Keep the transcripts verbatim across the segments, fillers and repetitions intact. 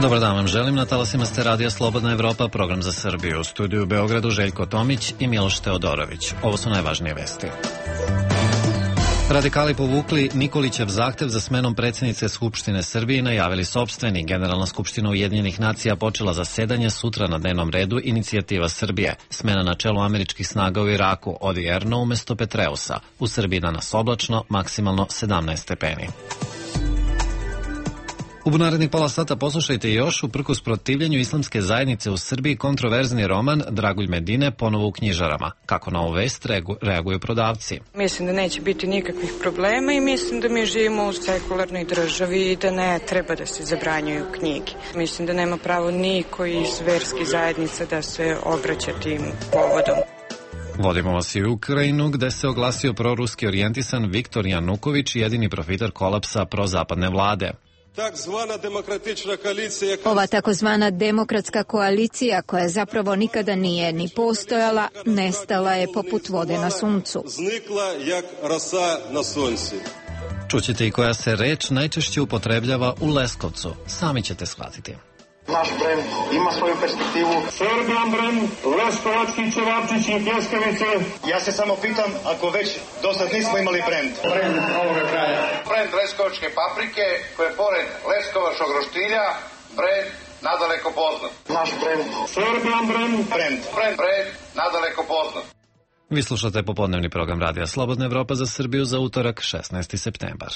Dobar dan vam želim, na talasima ste radija Slobodna Evropa, program za Srbiju. U studiju u Beogradu Željko Tomić i Miloš Teodorović. Ovo su najvažnije vesti. Radikali povukli Nikolićev zahtev za smenom predsjednice Skupštine Srbije i najavili sopstveni. Generalna skupština Ujedinjenih nacija počela zasedanje, sutra na dnevnom redu Inicijativa Srbije. Smena na čelu američkih snaga u Iraku, Odi Erno umesto Petreusa. U Srbiji danas oblačno, maksimalno sedamnaest stepeni. U narednih pola sata poslušajte još, uprkos protivljenju islamske zajednice u Srbiji, kontroverzni roman Dragulj Medine ponovo u knjižarama. Kako na ovu vest reaguju prodavci? Mislim da neće biti nikakvih problema i mislim da mi živimo u sekularnoj državi i da ne treba da se zabranjuju knjige. Mislim da nema pravo niko iz verskih zajednica da se obraća tim povodom. Vodimo vas i u Ukrajinu, gde se oglasio proruski orijentisan Viktor Januković, jedini profiter kolapsa prozapadne vlade. Ova takozvana demokratska koalicija, koja zapravo nikada nije ni postojala, nestala je poput vode na suncu. Čućete i koja se reč najčešće upotrebljava u Leskovcu. Sami ćete shvatiti. Naš brend ima svoju perspektivu. Serbian brend, leskovački ćevapčići i pljeskavice. Ja se samo pitam, ako već do sad nismo imali brend. Brend ovoga kraja. Brend leskovačke paprike, koje pored leskovačkog roštilja, brend nadaleko poznat. Naš brend. Serbian brend. Brend. Brend, brend nadaleko poznat. Vi slušate popodnevni program Radija Slobodna Evropa za Srbiju za utorak, šesnaesti septembar.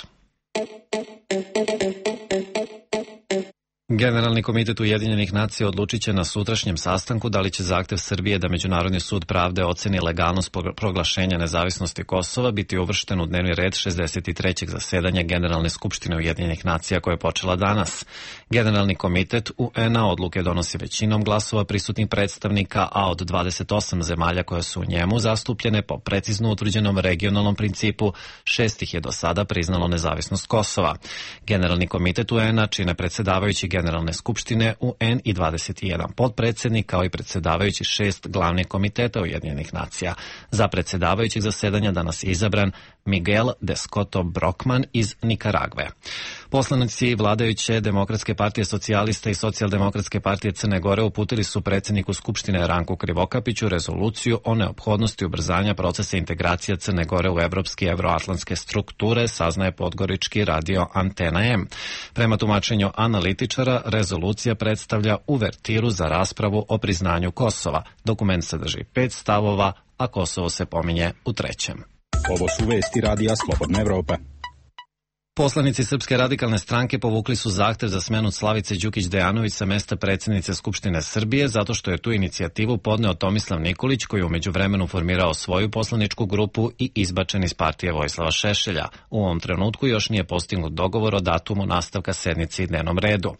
Generalni komitet Ujedinjenih nacija odlučit će na sutrašnjem sastanku da li će zahtev Srbije da Međunarodni sud pravde oceni legalnost proglašenja nezavisnosti Kosova biti uvršten u dnevni red šezdeset trećeg zasedanja Generalne skupštine Ujedinjenih nacija koja je počela danas. Generalni komitet U N A odluke donosi većinom glasova prisutnih predstavnika, a od dvadeset osam zemalja koje su u njemu zastupljene po precizno utvrđenom regionalnom principu, šest ih je do sada priznalo nezavisnost Kosova. Generalni komitet U N A čine predsjedavajući Generalne skupštine U N i dvadeset jedan potpredsjednik, kao i predsjedavajući šest glavnih komiteta Ujedinjenih nacija. Za predsjedavajućeg zasedanja danas je izabran Miguel de Scotto Brockman iz Nikaragve. Poslanici vladajuće Demokratske partije socijalista i Socijaldemokratske partije Crne Gore uputili su predsjedniku Skupštine Ranku Krivokapiću rezoluciju o neophodnosti ubrzanja procesa integracija Crne Gore u evropske i evroatlantske strukture, saznaje podgorički radio Antena M. Prema tumačenju analitičara, rezolucija predstavlja uvertiru za raspravu o priznanju Kosova. Dokument sadrži pet stavova, a Kosovo se pominje u trećem. Ovo su vesti Radija Slobodna Evropa. Poslanici Srpske radikalne stranke povukli su zahtev za smenu Slavice Đukić Dejanović sa mesta predsjednice Skupštine Srbije zato što je tu inicijativu podneo Tomislav Nikolić, koji je u međuvremenu formirao svoju poslaničku grupu i izbačen iz partije Vojislava Šešelja. U ovom trenutku još nije postignut dogovor o datumu nastavka sednice i dnevnom redu.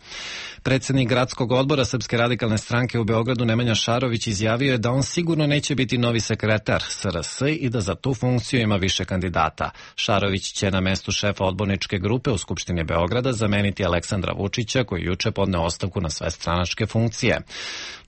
Predsjednik gradskog odbora Srpske radikalne stranke u Beogradu Nemanja Šarović izjavio je da on sigurno neće biti novi sekretar S R S i da za tu funkciju ima više kandidata. Šarović će na mestu šefa odborničke grupe u Skupštini Beograda zameniti Aleksandra Vučića, koji juče podneo ostavku na sve stranačke funkcije.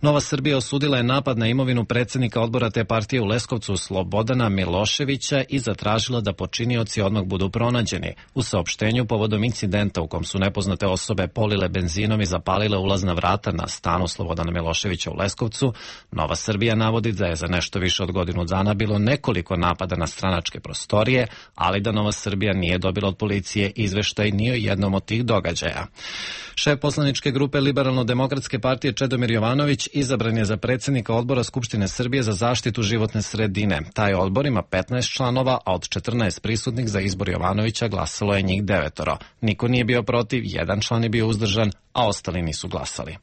Nova Srbija osudila je napad na imovinu predsjednika odbora te partije u Leskovcu Slobodana Miloševića i zatražila da počinioci odmah budu pronađeni. U saopštenju povodom incidenta u kom su nepoznate osobe polile benzinom i zapalile ulazna vrata na stanu Slobodana Miloševića u Leskovcu, Nova Srbija navodi da je za nešto više od godinu dana bilo nekoliko napada na stranačke prostorije, ali da Nova Srbija nije dobila od policije izveštaj ni o jednom od tih događaja. Šef poslaničke grupe Liberalno-demokratske partije Čedomir Jovanović izabran je za predsjednika odbora Skupštine Srbije za zaštitu životne sredine. Taj odbor ima petnaest članova, a od četrnaest prisutnih za izbor Jovanovića glasalo je njih devetoro. Niko nije bio protiv, jedan član je bio uzdržan, a ostali nisu glasali.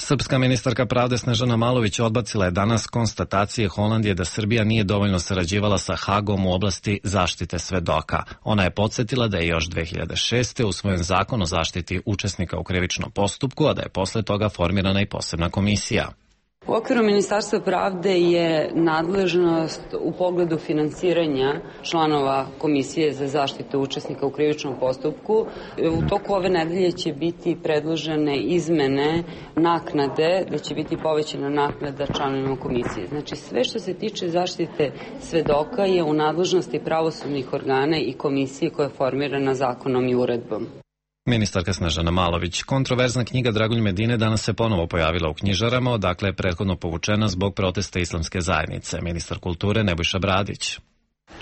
Srpska ministarka pravde Snežana Malović odbacila je danas konstatacije Holandije da Srbija nije dovoljno sarađivala sa Hagom u oblasti zaštite svedoka. Ona je podsjetila da je još dve hiljade šeste. usvojen zakon o zaštiti učesnika u krivičnom postupku, a da je posle toga formirana i posebna komisija. U okviru Ministarstva pravde je nadležnost u pogledu finansiranja članova Komisije za zaštitu učesnika u krivičnom postupku. U toku ove nedelje će biti predložene izmene naknade, da će biti povećana naknada članovima komisije. Znači sve što se tiče zaštite svedoka je u nadležnosti pravosudnih organa i komisije koja je formirana zakonom i uredbom. Ministarka Snežana Malović. Kontroverzna knjiga Dragoljub Medine danas se ponovo pojavila u knjižarama, odakle je prethodno povučena zbog protesta islamske zajednice. Ministar kulture Nebojša Bradić.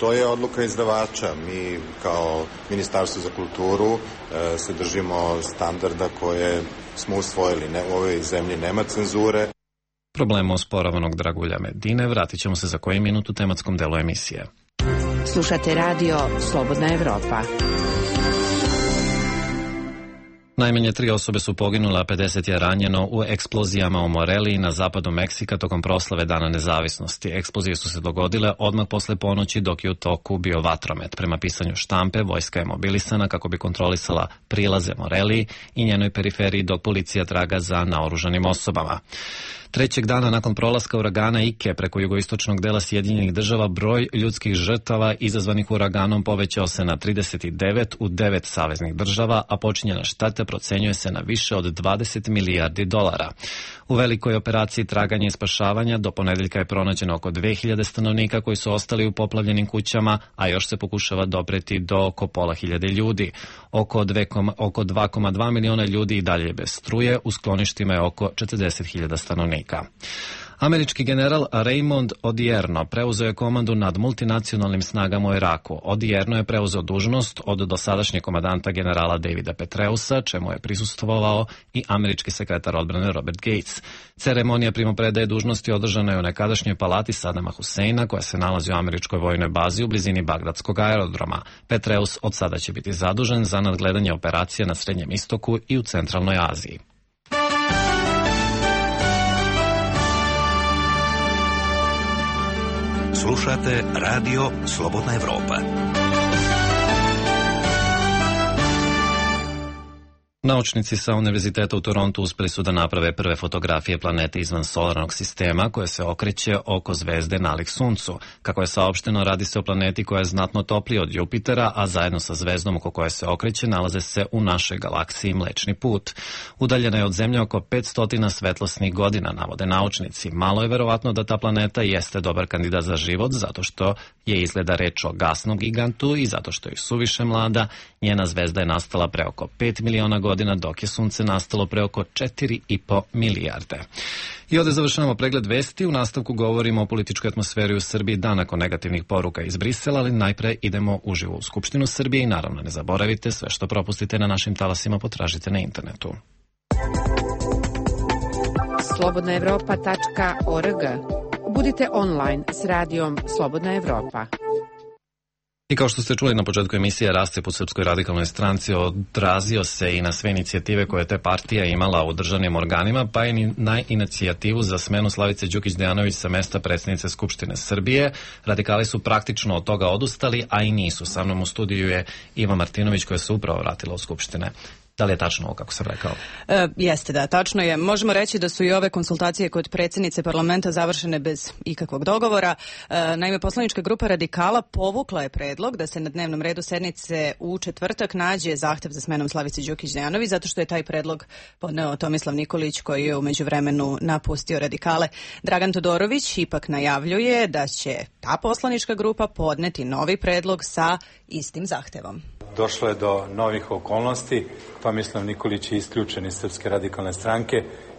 To je odluka izdavača. Mi kao Ministarstvo za kulturu e, se držimo standarda koje smo usvojili. Ne, u ovoj zemlji nema cenzure. Problemu osporavanog Dragoljuba Medine vratit ćemo se za koji minut u tematskom delu emisije. Slušate radio Slobodna Evropa. Najmanje tri osobe su poginule, a pedeset je ranjeno u eksplozijama u Moreliji na zapadu Meksika tokom proslave Dana nezavisnosti. Eksplozije su se dogodile odmah posle ponoći dok je u toku bio vatromet. Prema pisanju štampe, vojska je mobilisana kako bi kontrolisala prilaze Moreliji i njenoj periferiji dok policija traga za naoružanim osobama. Trećeg dana nakon prolaska uragana Ike preko jugoistočnog dela Sjedinjenih država, broj ljudskih žrtava izazvanih uraganom povećao se na trideset devet u devet saveznih država, a počinjena šteta procenjuje se na više od dvadeset milijardi dolara. U velikoj operaciji traganja i spašavanja do ponedeljka je pronađeno oko dve hiljade stanovnika koji su ostali u poplavljenim kućama, a još se pokušava dopreti do oko pola hiljade ljudi. Oko, oko dva zarez dva miliona ljudi i dalje je bez struje, u skloništima je oko četrdeset hiljada stanovnika. Američki general Raymond Odierno preuzeo je komandu nad multinacionalnim snagama u Iraku. Odierno je preuzeo dužnost od dosadašnjeg komadanta generala Davida Petreusa, čemu je prisustvovao i američki sekretar odbrane Robert Gates. Ceremonija primopredaje dužnosti održana je u nekadašnjoj palati Sadama Huseina, koja se nalazi u američkoj vojnoj bazi u blizini Bagdadskog aerodroma. Petreus od sada će biti zadužen za nadgledanje operacija na Srednjem istoku i u Centralnoj Aziji. Slušate radio Slobodna Evropa. Naučnici sa Univerziteta u Torontu uspeli su da naprave prve fotografije planete izvan solarnog sistema koje se okreće oko zvezde nalik Suncu. Kako je saopšteno, radi se o planeti koja je znatno toplija od Jupitera, a zajedno sa zvezdom oko koje se okreće nalaze se u našoj galaksiji Mlečni put. Udaljena je od Zemlje oko petsto svetlosnih godina, navode naučnici. Malo je verovatno da ta planeta jeste dobar kandidat za život, zato što je izgleda reč o gasnom gigantu i zato što je suviše mlada. Njena zvezda je nastala pre oko pet miliona godina, dok je Sunce nastalo pre oko četiri i po milijarde. I ovde završavamo pregled vesti. U nastavku govorimo o političkoj atmosferi u Srbiji dan nakon negativnih poruka iz Brisela, ali najpre idemo uživo u Skupštinu Srbije i naravno ne zaboravite, sve što propustite na našim talasima potražite na internetu. slobodna evropa tačka org. Budite online s radijom Slobodna Evropa. I kao što ste čuli na početku emisije, rascjep u Srpskoj radikalnoj stranci odrazio se i na sve inicijative koje te partija imala u državnim organima, pa i na inicijativu za smenu Slavice Đukić Dejanović sa mesta predsjednice Skupštine Srbije. Radikali su praktično od toga odustali, a i nisu. Sa mnom u studiju je Iva Martinović, koja se upravo vratila u Skupštine. Da li je tačno ovo kako sam rekao? E, jeste da, tačno je. Možemo reći da su i ove konsultacije kod predsjednice parlamenta završene bez ikakvog dogovora. E, naime, poslanička grupa Radikala povukla je predlog da se na dnevnom redu sednice u četvrtak nađe zahtev za smenom Slavice Đukić Dejanović, zato što je taj predlog podneo Tomislav Nikolić, koji je u međuvremenu napustio Radikale. Dragan Todorović ipak najavljuje da će ta poslanička grupa podneti novi predlog sa istim zahtevom. Došlo je do novih okolnosti. Tomislav Nikolić je isključen iz Srpske radikalne stranke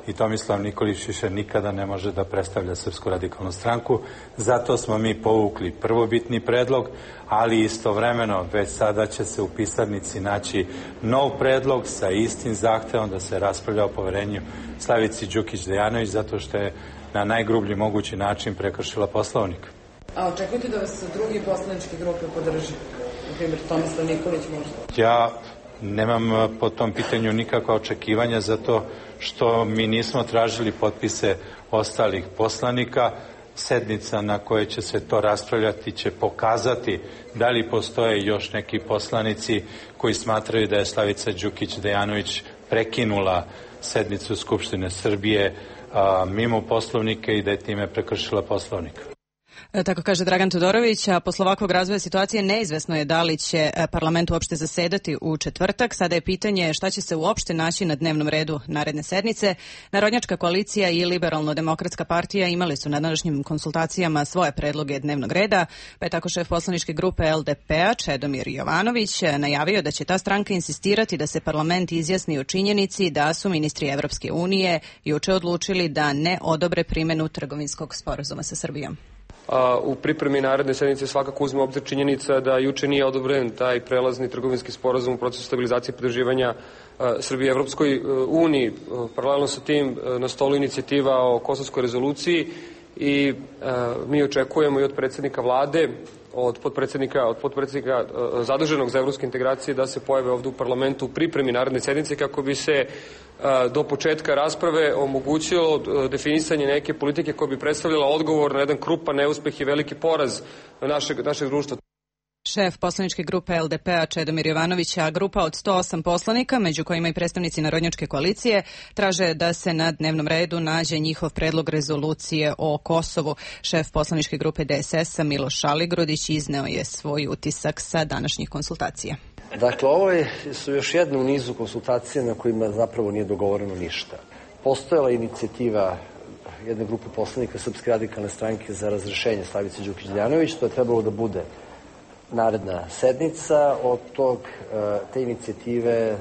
i Tomislav Nikolić više nikada ne može da predstavlja Srpsku radikalnu stranku. Zato smo mi povukli prvobitni predlog, ali istovremeno već sada će se u pisarnici naći nov predlog sa istim zahtevom da se raspravlja o poverenju Slavici Đukić Dejanović, zato što je na najgrublji mogući način prekršila Poslovnik. A očekujete da vas drugi poslaničke grupe podrži? Na primjer, Tomislav Nikolić možda? Ja nemam po tom pitanju nikakva očekivanja, zato što mi nismo tražili potpise ostalih poslanika. Sednica na kojoj će se to raspravljati će pokazati da li postoje još neki poslanici koji smatraju da je Slavica Đukić Dejanović prekinula sednicu Skupštine Srbije a, mimo poslovnika i da je time prekršila poslovnik. Tako kaže Dragan Todorović, a posle ovakvog razvoja situacije neizvesno je da li će parlament uopšte zasedati u četvrtak. Sada je pitanje šta će se uopšte naći na dnevnom redu naredne sednice. Narodnjačka koalicija i Liberalno-demokratska partija imali su na današnjim konsultacijama svoje predloge dnevnog reda, pa je tako šef poslaničke grupe L D P-a Čedomir Jovanović najavio da će ta stranka insistirati da se parlament izjasni o činjenici da su ministri Evropske unije juče odlučili da ne odobre primenu trgovinskog sporazuma sa Srbijom. U pripremi naredne sednice svakako uzme obzir činjenica da juče nije odobren taj prelazni trgovinski sporazum u procesu stabilizacije i pridruživanja Srbije Evropskoj uniji. Paralelno sa tim na stolu inicijativa o kosovskoj rezoluciji i mi očekujemo i od predsjednika vlade, od potpredsjednika, od potpredsjednika zaduženog za evropske integracije da se pojave ovdje u parlamentu u pripremi naredne sednice kako bi se do početka rasprave omogućilo definisanje neke politike koja bi predstavljala odgovor na jedan krupan neuspeh i veliki poraz našeg, našeg društva. Šef poslaničke grupe L D P-a Čedomir Jovanović, a grupa od sto osam poslanika, među kojima i predstavnici Narodnjačke koalicije, traže da se na dnevnom redu nađe njihov predlog rezolucije o Kosovu. Šef poslaničke grupe D S S-a Miloš Aligrudić izneo je svoj utisak sa današnjih konsultacija. Dakle, ovo su još jedne u nizu konsultacija na kojima zapravo nije dogovoreno ništa. Postojala inicijativa jedne grupe poslanika Srpske radikalne stranke za razrešenje Slavice Đukić Dejanović, to je trebalo da bude naredna sednica. Od tog, te inicijative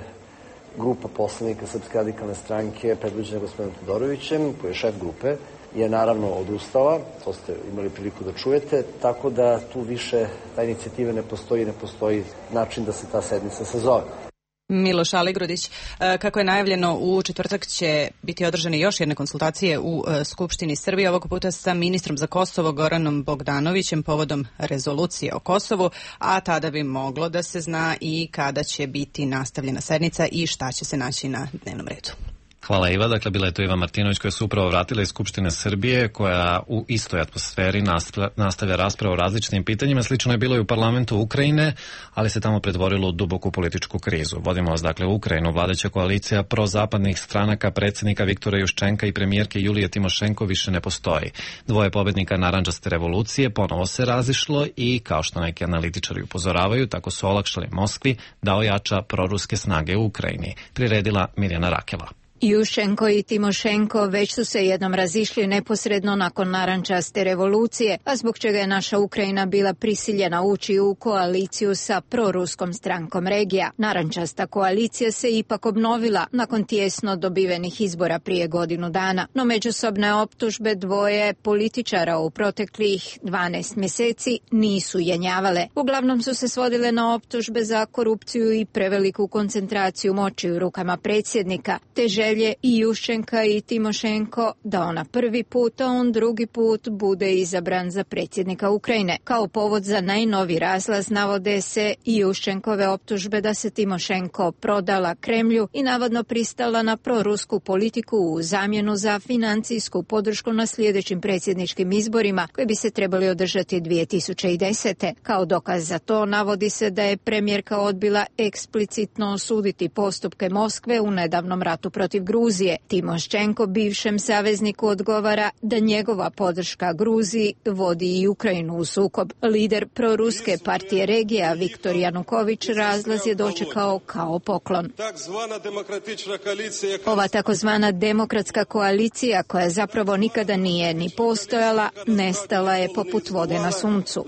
grupa poslanika Srpske radikalne stranke predvođena gospodinom Todorovićem, koji je šef grupe, je naravno odustala, to ste imali priliku da čujete, tako da tu više ta inicijativa ne postoji, ne postoji način da se ta sednica sazove. Miloš Aligrudić, kako je najavljeno, u četvrtak će biti održane još jedne konsultacije u Skupštini Srbije, ovog puta sa ministrom za Kosovo Goranom Bogdanovićem povodom rezolucije o Kosovu, a tada bi moglo da se zna i kada će biti nastavljena sednica i šta će se naći na dnevnom redu. Hvala Iva, dakle bila je to Iva Martinović koja se upravo vratila iz Skupštine Srbije, koja u istoj atmosferi nastavlja raspravu o različitim pitanjima. Slično je bilo i u parlamentu Ukrajine, ali se tamo pretvorilo u duboku političku krizu. Vodimo vas dakle u Ukrajinu. Vladajuća koalicija prozapadnih stranaka predsjednika Viktora Juščenka i premijerke Julije Timošenko više ne postoji. Dvoje pobednika narandžaste revolucije ponovo se razišlo i, kao što neki analitičari upozoravaju, tako su olakšali Moskvi da ojača proruske snage u Ukrajini. Priredila Mirjana Rakela. Juščenko i Timošenko već su se jednom razišli neposredno nakon narandžaste revolucije, a zbog čega je naša Ukrajina bila prisiljena ući u koaliciju sa proruskom strankom regija. Narandžasta koalicija se ipak obnovila nakon tijesno dobivenih izbora prije godinu dana, no međusobne optužbe dvoje političara u proteklih dvanaest mjeseci nisu jenjavale. Uglavnom su se svodile na optužbe za korupciju i preveliku koncentraciju moći u rukama predsjednika, te želje i Juščenka i Timošenko da ona prvi put, a on drugi put bude izabran za predsjednika Ukrajine. Kao povod za najnovi razlaz navode se i Juščenkove optužbe da se Timošenko prodala Kremlju i navodno pristala na prorusku politiku u zamjenu za financijsku podršku na sljedećim predsjedničkim izborima koji bi se trebali održati dvije tisuće desete. Kao dokaz za to navodi se da je premijerka odbila eksplicitno osuditi postupke Moskve u nedavnom ratu protiv Gruzije. Timošenko bivšem savezniku odgovara da njegova podrška Gruziji vodi i Ukrajinu u sukob. Lider proruske partije regija Viktor Januković razlaz je dočekao kao poklon. Ova takozvana demokratska koalicija, koja zapravo nikada nije ni postojala, nestala je poput vode na suncu.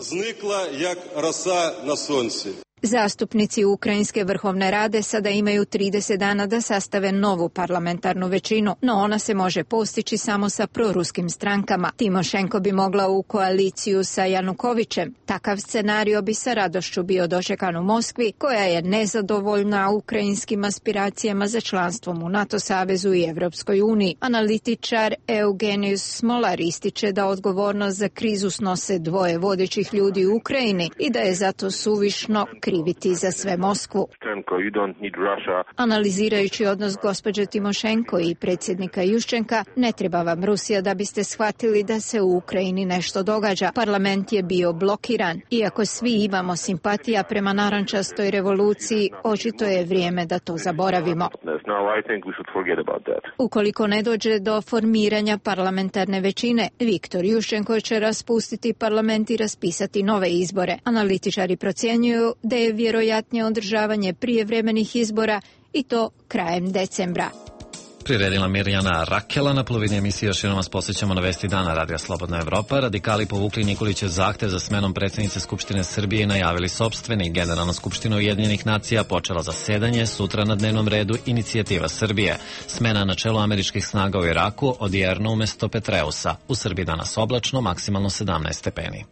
Zastupnici Ukrajinske vrhovne rade sada imaju trideset dana da sastave novu parlamentarnu većinu, no ona se može postići samo sa proruskim strankama. Timošenko bi mogla u koaliciju sa Janukovićem. Takav scenario bi sa radošću bio dočekan u Moskvi, koja je nezadovoljna ukrajinskim aspiracijama za članstvom u NATO savezu i Evropskoj uniji. Analitičar Eugenijus Smolar ističe da odgovornost za krizu snose dvoje vodećih ljudi u Ukrajini i da je zato suvišno kriviti za sve Moskvu. Analizirajući odnos gospođe Timošenko i predsjednika Juščenka, ne treba vam Rusija da biste shvatili da se u Ukrajini nešto događa. Parlament je bio blokiran. Iako svi imamo simpatija prema narančastoj revoluciji, očito je vrijeme da to zaboravimo. Ukoliko ne dođe do formiranja parlamentarne većine, Viktor Juščenko će raspustiti parlament i raspisati nove izbore. Analitičari procjenjuju da je vjerojatnije održavanje prijevremenih izbora i to krajem decembra. Priredila Mirjana Rakela. Na polovini emisije još jednom vas posjećamo na vesti dana Radija Slobodna Evropa. Radikali povukli Nikolićev zahtev za smenom predsjednice Skupštine Srbije i najavili sopstveni. Generalna skupština Ujedinjenih nacija počela zasedanje, sutra na dnevnom redu inicijativa Srbije. Smena na čelu američkih snaga u Iraku, odjerno umjesto Petreusa. U Srbiji danas oblačno, maksimalno sedamnaest stepeni.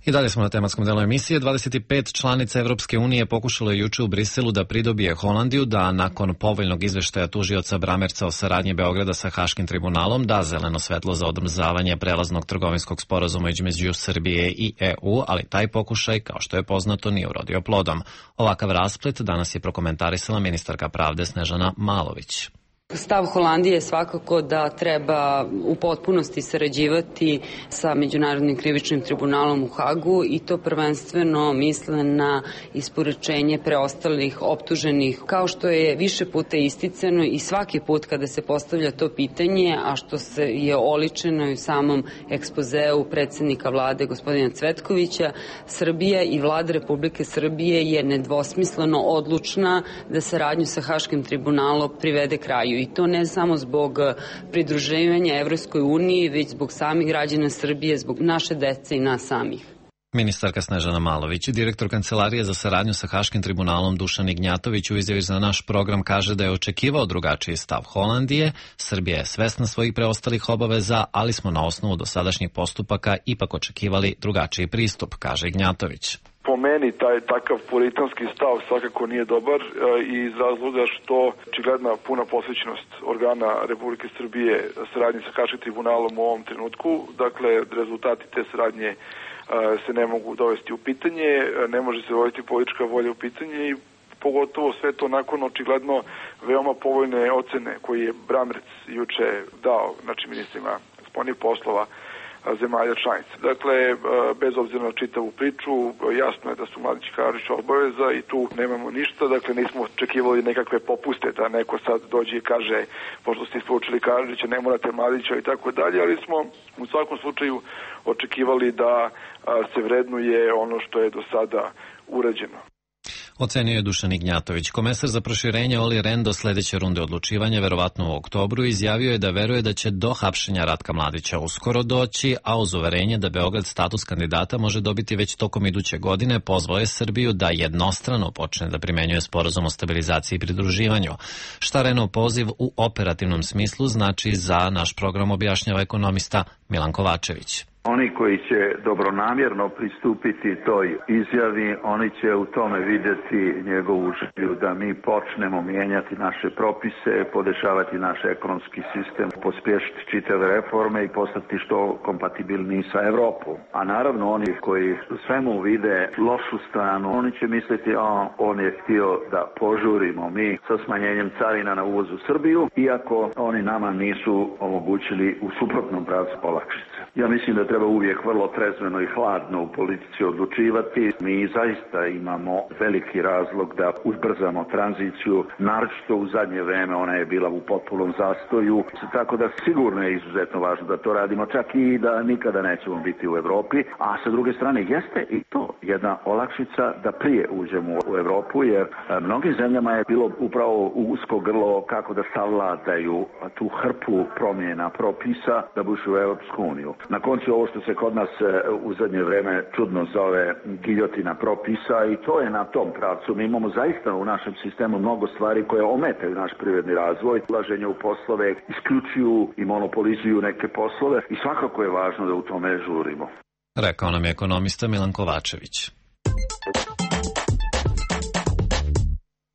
I dalje smo na tematskom delu emisije. dvadeset pet članica Evropske unije pokušalo je juče u Briselu da pridobije Holandiju da nakon povoljnog izveštaja tužioca Bramerca o saradnji Beograda sa Haškim tribunalom da zeleno svetlo za odmrzavanje prelaznog trgovinskog sporazuma između Srbije i E U, ali taj pokušaj, kao što je poznato, nije urodio plodom. Ovakav rasplet danas je prokomentarisala ministarka pravde Snežana Malović. Stav Holandije je svakako da treba u potpunosti sarađivati sa Međunarodnim krivičnim tribunalom u Hagu i to prvenstveno misle na isporučenje preostalih optuženih, kao što je više puta isticano i svaki put kada se postavlja to pitanje, a što se je oličeno i u samom ekspozeu predsjednika vlade gospodina Cvetkovića, Srbija i vlada Republike Srbije je nedvosmisleno odlučna da saradnju sa Haškim tribunalom privede kraju. I to ne samo zbog pridruživanja Evropskoj uniji, već zbog samih građana Srbije, zbog naše dece i nas samih. Ministarka Snežana Malović i direktor Kancelarije za saradnju sa Haškim tribunalom Dušan Ignjatović u izjavi za naš program kaže da je očekivao drugačiji stav Holandije. Srbija je svesna svojih preostalih obaveza, ali smo na osnovu dosadašnjih postupaka ipak očekivali drugačiji pristup, kaže Ignjatović. Po meni taj takav puritanski stav svakako nije dobar i iz razloga što očigledna puna posvećenost organa Republike Srbije saradnji sa Haškim tribunalom u ovom trenutku. Dakle, rezultati te saradnje se ne mogu dovesti u pitanje, ne može se dovesti politička volja u pitanje i pogotovo sve to nakon očigledno veoma povoljne ocene koje je Bramerc juče dao, znači ministrima spoljnih poslova zemalja članica. Dakle, bez obzira na čitavu priču, jasno je da su Mladić i Karić obaveza i tu nemamo ništa, dakle nismo očekivali nekakve popuste da neko sad dođe i kaže pošto ste isporučili Karića, ne morate Mladića i tako dalje, ali smo u svakom slučaju očekivali da se vrednuje ono što je do sada urađeno. Ocenio je Dušan Ignjatović. Komesar za proširenje Oli Rehn do sljedeće runde odlučivanja, verovatno u oktobru, izjavio je da veruje da će do hapšenja Ratka Mladića uskoro doći, a uz uverenje da Beograd status kandidata može dobiti već tokom iduće godine, pozvao je Srbiju da jednostrano počne da primenjuje sporazum o stabilizaciji i pridruživanju. Šta Rehnov poziv u operativnom smislu znači za naš program, objašnjava ekonomista Milan Kovačević. Oni koji će dobronamjerno pristupiti toj izjavi, oni će u tome vidjeti njegovu želju da mi počnemo mijenjati naše propise, podešavati naš ekonomski sistem, pospješiti čitave reforme i postati što kompatibilniji sa Evropom. A naravno oni koji u svemu vide lošu stranu, oni će misliti, a on je htio da požurimo mi sa smanjenjem carina na uvoz u Srbiju, iako oni nama nisu omogućili u suprotnom pravcu olakšice. Ja mislim da treba uvijek vrlo trezveno i hladno u politici odlučivati. Mi zaista imamo veliki razlog da ubrzamo tranziciju, naročito u zadnje vreme ona je bila u potpunom zastoju, tako da sigurno je izuzetno važno da to radimo, čak i da nikada nećemo biti u Evropi, a sa druge strane jeste i to jedna olakšica da prije uđemo u Evropu, jer mnogim zemljama je bilo upravo usko grlo kako da savladaju tu hrpu promjena propisa da bi ušli u Evropsku uniju. Na koncu ovo što se kod nas u zadnje vreme čudno zove giljotina propisa i to je na tom pravcu. Mi imamo zaista u našem sistemu mnogo stvari koje ometaju naš privredni razvoj, ulaženje u poslove, isključuju i monopolizuju neke poslove i svakako je važno da u tome žurimo. Rekao nam je ekonomista Milan Kovačević.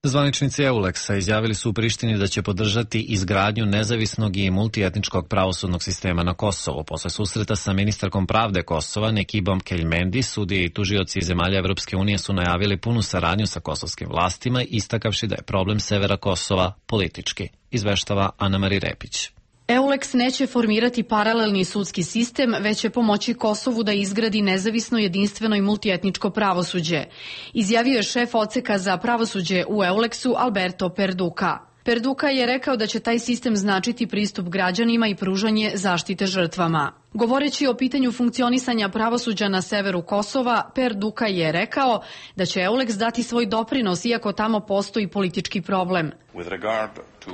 Zvaničnici Euleksa izjavili su u Prištini da će podržati izgradnju nezavisnog i multietničkog pravosudnog sistema na Kosovu. Posle susreta sa ministarkom pravde Kosova, Nekibom Keljmendi, sudije i tužioci iz zemalja Evropske unije su najavili punu saradnju sa kosovskim vlastima, istakavši da je problem severa Kosova politički. Izveštava Ana-Mari Repić. Euleks neće formirati paralelni sudski sistem, već će pomoći Kosovu da izgradi nezavisno, jedinstveno i multietničko pravosuđe. Izjavio je šef odseka za pravosuđe u Euleksu Alberto Perduka. Perduka je rekao da će taj sistem značiti pristup građanima i pružanje zaštite žrtvama. Govoreći o pitanju funkcionisanja pravosuđa na severu Kosova, Perduka je rekao da će Euleks dati svoj doprinos iako tamo postoji politički problem. With regard to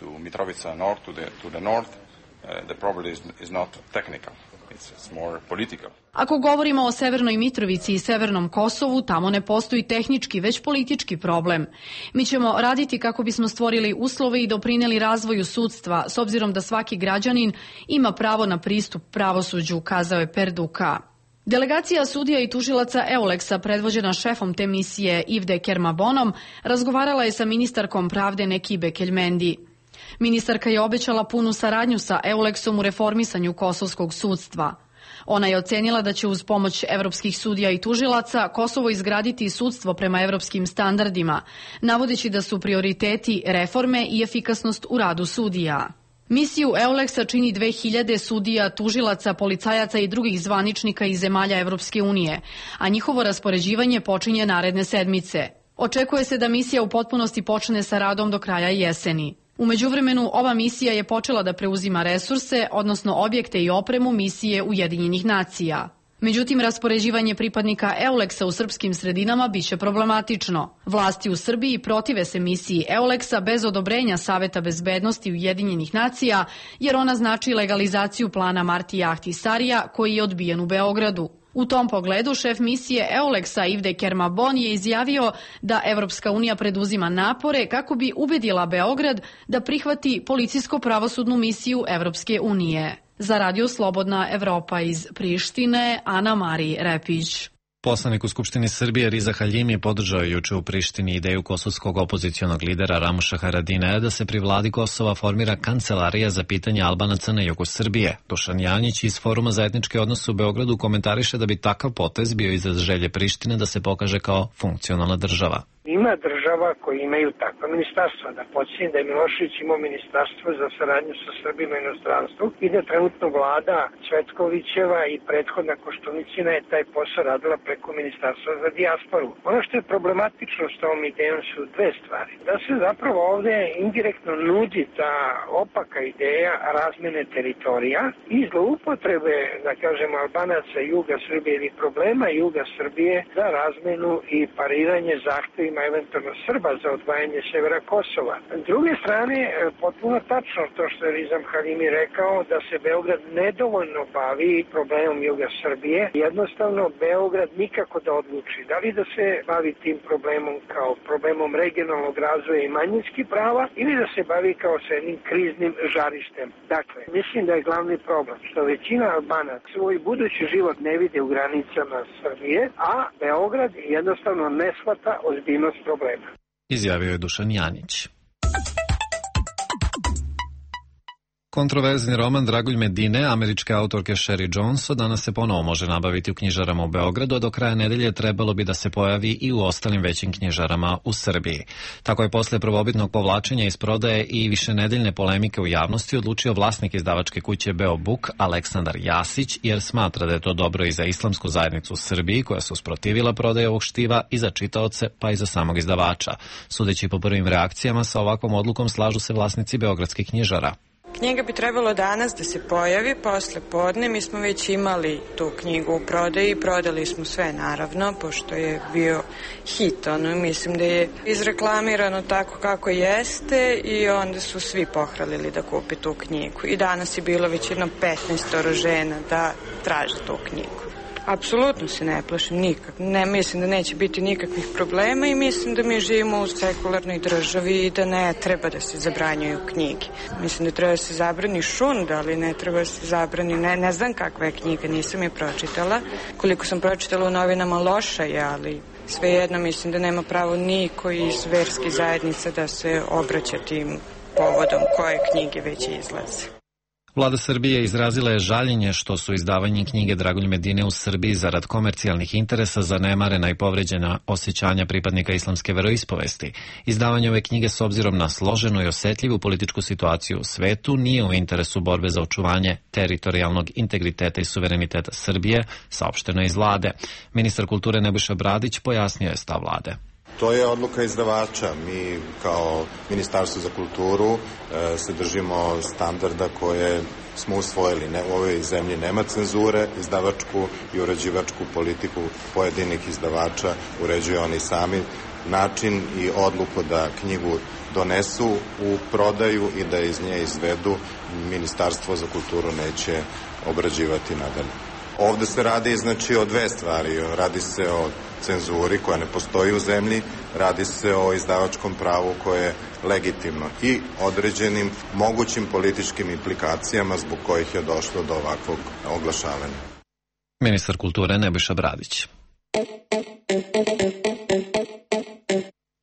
to Mitrovica north, to the, to the north, uh, the problem is, is not technical, it's, it's more political. Ako govorimo o Severnoj Mitrovici i Severnom Kosovu, tamo ne postoji tehnički, već politički problem. Mi ćemo raditi kako bismo stvorili uslove i doprineli razvoju sudstva, s obzirom da svaki građanin ima pravo na pristup pravosuđu, kazao je Perduka. Delegacija sudija i tužilaca Euleksa, predvođena šefom te misije Ivde Kermabonom, razgovarala je sa ministarkom pravde Nekibe Keljmendi. Ministarka je obećala punu saradnju sa Euleksom u reformisanju kosovskog sudstva. Ona je ocenila da će uz pomoć evropskih sudija i tužilaca Kosovo izgraditi sudstvo prema evropskim standardima, navodeći da su prioriteti reforme i efikasnost u radu sudija. Misiju Euleksa čini dve hiljade sudija, tužilaca, policajaca i drugih zvaničnika iz zemalja Evropske unije, a njihovo raspoređivanje počinje naredne sedmice. Očekuje se da misija u potpunosti počne sa radom do kraja jeseni. U međuvremenu, ova misija je počela da preuzima resurse, odnosno objekte i opremu misije Ujedinjenih nacija. Međutim, raspoređivanje pripadnika Euleksa u srpskim sredinama biće problematično. Vlasti u Srbiji protive se misiji Euleksa bez odobrenja Saveta bezbednosti Ujedinjenih nacija, jer ona znači legalizaciju plana Martija Ahtisarija, koji je odbijen u Beogradu. U tom pogledu šef misije Euleksa Ivde Kermabon je izjavio da Evropska unija preduzima napore kako bi ubedila Beograd da prihvati policijsko-pravosudnu misiju Evropske unije. Za Radio Slobodna Evropa iz Prištine, Ana-Mari Repić. Poslanik u Skupštini Srbije Riza Haljimi podržao je juče u Prištini ideju kosovskog opozicionog lidera Ramuša Haradinaja da se pri vladi Kosova formira kancelarija za pitanje Albanaca na jugu Srbije. Dušan Janjić iz Foruma za etničke odnose u Beogradu komentariše da bi takav potez bio izraz želje Prištine da se pokaže kao funkcionalna država. Ima država koji imaju takva ministarstva. Da podsjetim da je Milošević imao ministarstvo za saradnju sa Srbima i inostranstvu i da trenutno vlada Cvetkovićeva i prethodna Koštunicina je taj posao radila preko ministarstva za dijasporu. Ono što je problematično s tom idejom su dve stvari. Da se zapravo ovde indirektno nudi ta opaka ideja razmene teritorija i zloupotrebe, da kažemo, Albanaca juga Srbije ili problema juga Srbije za razmenu i pariranje zahtevima eventualno Srba za odvajanje severa Kosova. S druge strane, potpuno tačno to što je Rizam Halimi rekao, da se Beograd nedovoljno bavi problemom juga Srbije. Jednostavno, Beograd nikako da odluči da li da se bavi tim problemom kao problemom regionalnog razvoja i manjinskih prava ili da se bavi kao sa jednim kriznim žarištem. Dakle, mislim da je glavni problem što većina Albanaca svoj budući život ne vide u granicama Srbije, a Beograd jednostavno ne shvata ozbiljnost problema. Izjavio je Dušan Janić. Kontroverzni roman Dragulj Medine, američke autorke Sherry Jones, danas se ponovo može nabaviti u knjižarama u Beogradu, a do kraja nedelje trebalo bi da se pojavi i u ostalim većim knjižarama u Srbiji. Tako je posle prvobitnog povlačenja iz prodaje i višenedeljne polemike u javnosti odlučio vlasnik izdavačke kuće Beobook Aleksandar Jasić, jer smatra da je to dobro i za islamsku zajednicu u Srbiji, koja se usprotivila prodaje ovog štiva, i za čitaoce, pa i za samog izdavača. Sudeći po prvim reakcijama, sa ovakvom odlukom slažu se vlasnici beogradskih knjižara. Knjiga bi trebalo danas da se pojavi posle podne. Mi smo već imali tu knjigu u prodaji i prodali smo sve, naravno, pošto je bio hit. Ono, mislim da je izreklamirano tako kako jeste i onda su svi pohralili da kupi tu knjigu. I danas je bilo već jedno petnaest žena da traže tu knjigu. Apsolutno se ne plašim nikak. Ne mislim da neće biti nikakvih problema i mislim da mi živimo u sekularnoj državi i da ne treba da se zabranjuju knjige. Mislim da treba da se zabrani šund, ali ne treba da se zabrani, ne, ne znam kakva je knjiga, nisam je pročitala. Koliko sam pročitala u novinama loša je, ali Svejedno mislim da nema pravo niko iz verskih zajednica da se obraća tim povodom koje knjige već izlaze. Vlada Srbije izrazila je žaljenje što su izdavanje knjige Dragolj Medine u Srbiji zarad komercijalnih interesa zanemarena i povređena osjećanja pripadnika islamske veroispovesti. Izdavanje ove knjige s obzirom na složenu i osetljivu političku situaciju u svetu nije u interesu borbe za očuvanje teritorijalnog integriteta i suvereniteta Srbije, saopšteno je iz vlade. Ministar kulture Nebojša Bradić pojasnio je stav vlade. To je odluka izdavača. Mi kao Ministarstvo za kulturu e, se držimo standarda koje smo usvojili. Ne, u ovoj zemlji nema cenzure, izdavačku i uređivačku politiku pojedinih izdavača uređuju oni sami. Način i odluku da knjigu donesu u prodaju i da iz nje izvedu, Ministarstvo za kulturu neće obrađivati nadalje. Ovde se radi znači o dve stvari. Radi se o cenzuri koja ne postoji u zemlji, radi se o izdavačkom pravu koje je legitimno i određenim mogućim političkim implikacijama zbog kojih je došlo do ovakvog oglašavanja. Ministar kulture Nebojša Bradić.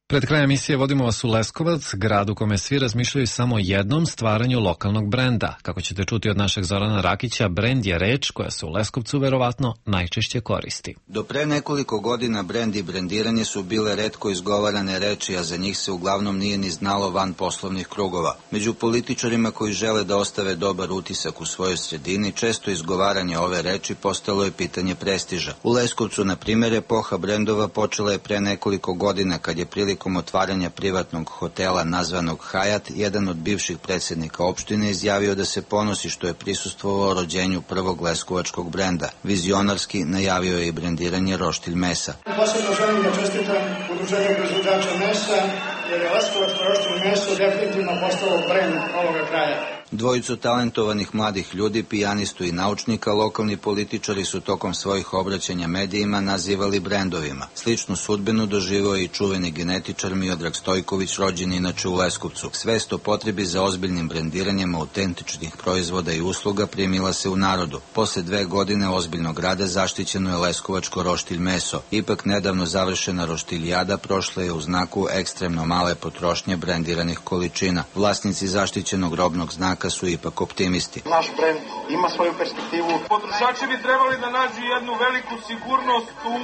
Pred krajem emisije vodimo vas u Leskovac, grad u kome svi razmišljaju samo o jednom stvaranju lokalnog brenda. Kako ćete čuti od našeg Zorana Rakića, brend je reč koja se u Leskovcu verovatno najčešće koristi. Do pre nekoliko godina brend i brendiranje su bile retko izgovarane reči, a za njih se uglavnom nije ni znalo van poslovnih krugova. Među političarima koji žele da ostave dobar utisak u svojoj sredini, često izgovaranje ove reči postalo je pitanje prestiža. U Leskovcu, na primjer, epoha brendova počela je pre nekoliko godina kad je prilikom otvaranja privatnog hotela nazvanog Hajat, jedan od bivših predsjednika opštine izjavio da se ponosi što je prisustvovao rođenju prvog leskovačkog brenda. Vizionarski najavio je i brendiranje roštilj mesa. Posebno želim da čestitam udruženju proizvođača mesa, jer je leskovačko roštilj meso definitivno postalo brend ovoga kraja. Dvojicu talentovanih mladih ljudi, pijanistu i naučnika, lokalni političari su tokom svojih obraćanja medijima nazivali brendovima. Sličnu sudbinu doživio je i čuveni genetičar Miodrag Stojković, rođen inače u Leskovcu. Svest o potrebi za ozbiljnim brendiranjem autentičnih proizvoda i usluga primila se u narodu. Posle dve godine ozbiljnog rada zaštićeno je leskovačko roštilj meso. Ipak nedavno završena roštiljada prošla je u znaku ekstremno male potrošnje brendiranih količina. Vlasnici zaštićenog robnog znaka su ipak optimisti. Naš brend ima svoju perspektivu. Potrošači bi trebali da nađu jednu veliku sigurnost u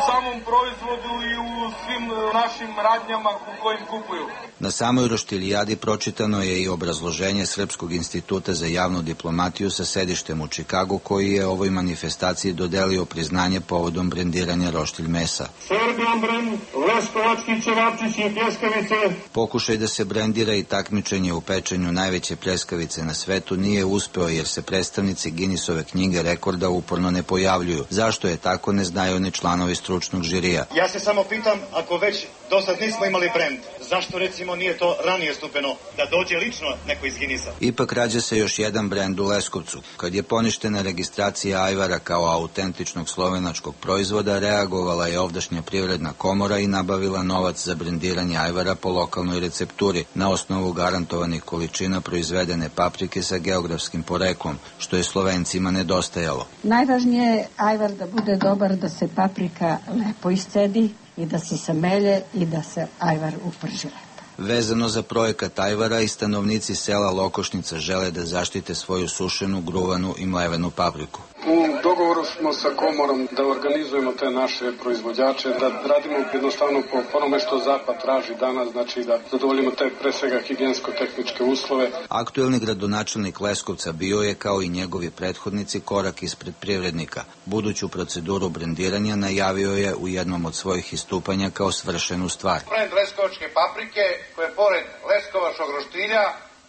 samom proizvodu i u svim našim radnjama u kojim kupuju. Na samoj roštiljadi pročitano je i obrazloženje Srpskog instituta za javnu diplomatiju sa sedištem u Čikagu, koji je ovoj manifestaciji dodelio priznanje povodom brendiranja roštilj mesa. Serbian brend, leskovački ćevapčići i pljeskavice. Pokušaj da se brendira i takmičenje u pečenju najveće pljeskavice na svetu nije uspeo, jer se predstavnici Guinnessove knjige rekorda uporno ne pojavljuju. Zašto je tako, ne znaju ni članovi stručnog žirija. Ja se samo pitam, ako već do sad nismo imali brend, zašto recimo nije to ranije stupeno, da dođe lično neko iz Guinnessa? Ipak rađa se još jedan brend u Leskovcu. Kad je poništena registracija ajvara kao autentičnog slovenačkog proizvoda, reagovala je ovdašnja privredna komora i nabavila novac za brendiranje ajvara po lokalnoj recepturi na osnovu garantovanih količina proizvedene paprike sa geografskim poreklom, što je Slovencima nedostajalo. Najvažnije je ajvar da bude dobar, da se paprika lepo iscedi i da se samelje i da se ajvar uprži lepo. Vezano za projekat ajvara, i stanovnici sela Lokošnica žele da zaštite svoju sušenu, gruvanu i mlevenu papriku. U dogovoru smo sa komorom da organizujemo te naše proizvođače, da radimo jednostavno po onome što Zapad traži danas, znači da zadovoljimo te pre svega higijensko-tehničke uslove. Aktuelni gradonačelnik Leskovca bio je, kao i njegovi prethodnici, korak ispred privrednika. Buduću proceduru brendiranja najavio je u jednom od svojih istupanja kao svršenu stvar. Brend leskovačke paprike, koje pored leskovačkog roštilja,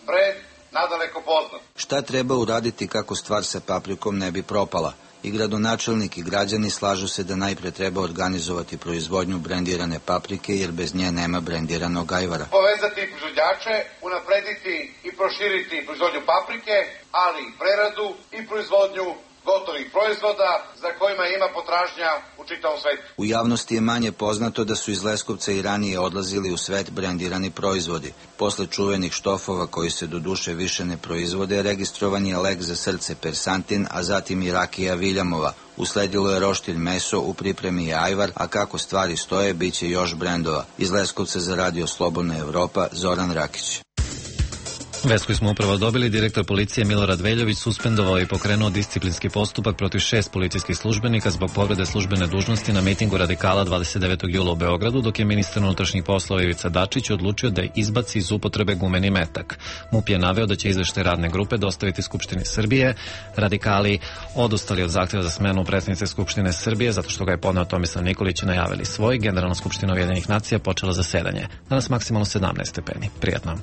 brend nadaleko poznat. Šta treba uraditi kako stvar sa paprikom ne bi propala? I gradonačelnik i građani slažu se da najpre treba organizovati proizvodnju brendirane paprike, jer bez nje nema brendiranog ajvara. Povezati proizvođače, unaprediti i proširiti proizvodnju paprike, ali i preradu i proizvodnju gotovih proizvoda za kojima ima potražnja u čitavom svetu. U javnosti je manje poznato da su iz Leskovca i ranije odlazili u svet brendirani proizvodi. Posle čuvenih štofova koji se do duše više ne proizvode, registrovan je lek za srce Persantin, a zatim i rakija Viljamova. Usledilo je roštilj meso, u pripremi je ajvar, a kako stvari stoje, bit će još brendova. Iz Leskovca za Radio Slobodna Evropa, Zoran Rakić. Vest koju smo upravo dobili, direktor policije Milorad Veljović suspendovao i pokrenuo disciplinski postupak protiv šest policijskih službenika zbog povrede službene dužnosti na mitingu radikala dvadeset devetog jula u Beogradu, dok je ministar unutrašnjih poslova Ivica Dačić odlučio da izbaci iz upotrebe gumeni metak. MUP je naveo da će izveštaj radne grupe dostaviti Skupštini Srbije. Radikali odustali od zahtjeva za smenu predsjednice Skupštine Srbije zato što ga je podneo Tomislav Nikolić i najavili svoj. Generalna skupština Ujedinjenih nacija počela zasedanje. Danas maksimalno sedamnaest stepeni. Prijatno.